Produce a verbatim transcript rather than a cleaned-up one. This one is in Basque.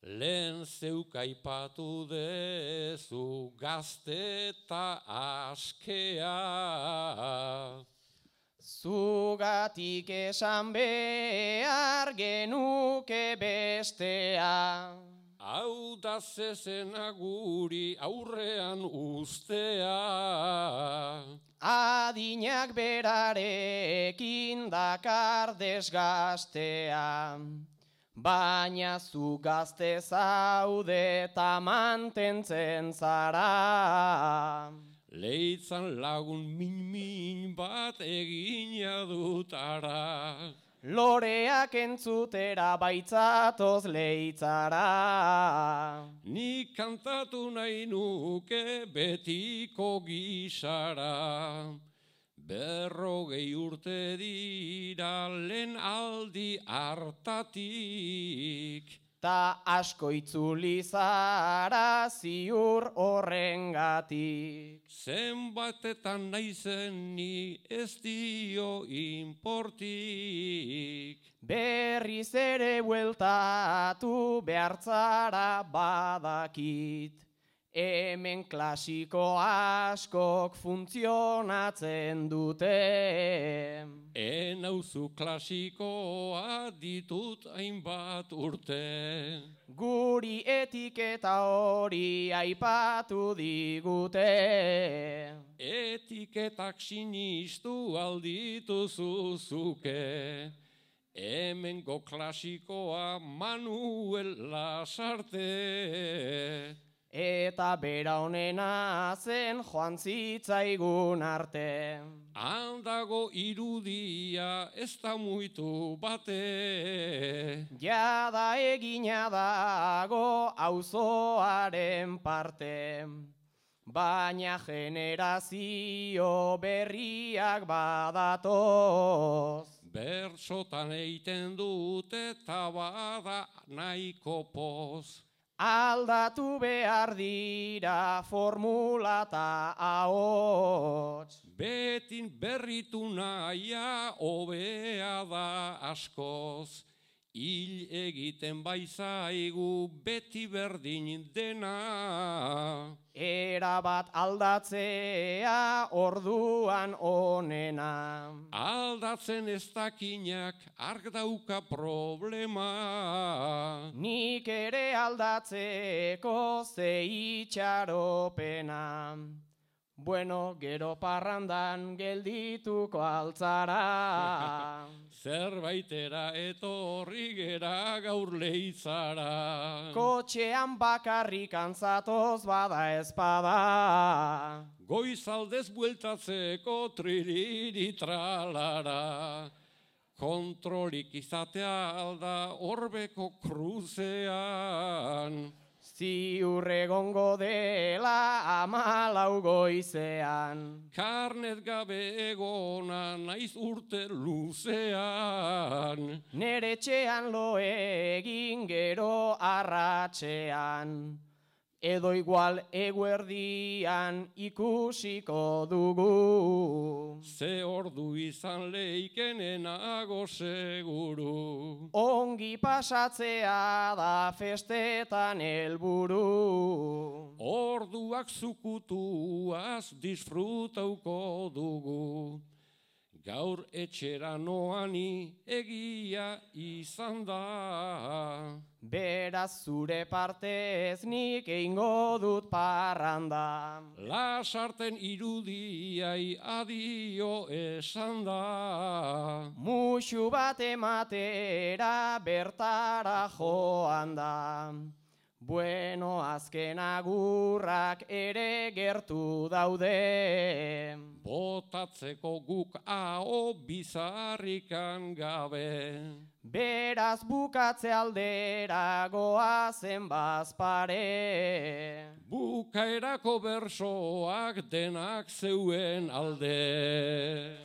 Lehen zeuk aipatu dezu gazte eta askea. Zugatik esan behar genuke bestea. Hau da zezena guri aurrean ustea. Adinak berarekin dakar desgaztea. Baina zu gazte zaude eta mantentzen zara. Leitzan lagun min-min bat egina dutara. Loreak entzutera baitzatoz leitzara. Nik kantatu nahi nuke betiko gisara. Berrogei urte dira lehen aldi hartatik. Ta asko itzuli zara ziur horrengatik. Zenbatetan naizen ni ez dio inportik. Berriz ere bueltatu behartzara badakit. Hemen klasiko askok funtzionatzen dute. Enauzu klasikoa ditut hainbat urte. Guri etiketa hori aipatu digute. Etiketak sinistu aldituzu zuke. Hemengo klasikoa Manuel Lasarte. Eta bera honena zen joan zitzaigun arte. Handago irudia ez da muitu bate. Jada egina dago auzoaren parte. Baina generazio berriak badatoz. Bersotan eiten dute eta bada nahiko poz. Aldatu behar dira formula eta ahots. Betin berritu nahia hobea da askoz. Hil egiten baizaigu beti berdin dena. Erabat aldatzea orduan onena. Aldatzen ez dakinak arg dauka problema. Nik ere aldatzeko ze itxaropena. Bueno, gero parrandan geldituko altzara. Zerbaitera etorri gera gaur leitzara. Kotxean bakarrik antzatoz bada ezpada. Goizaldez bueltatzeko tririri tralara. Kontrolik izatea alda horbeko kruzean. Ziur egongo dela hamalau goizean. Karnet gabe egona naiz urte luzean. Nere etxean lo egin gero arratsean. Edo igual eguerdian ikusiko dugu. Ze ordu izan leikenenago seguru. Ongi pasatzea da festetan helburu. Orduak zukutuaz disfrutauko dugu. Gaur etxera noani egia izan da. Beraz zure partez nik eingo dut parranda. Lasarten irudiai adio esan da. Muxu bat ematera bertara joan da. Bueno, azken agurrak ere gertu daude. Botatzeko guk aho bizarrikan gabe. Beraz bukatze aldera goazen bazpare. Bukaerako bersoak denak zeuen alde.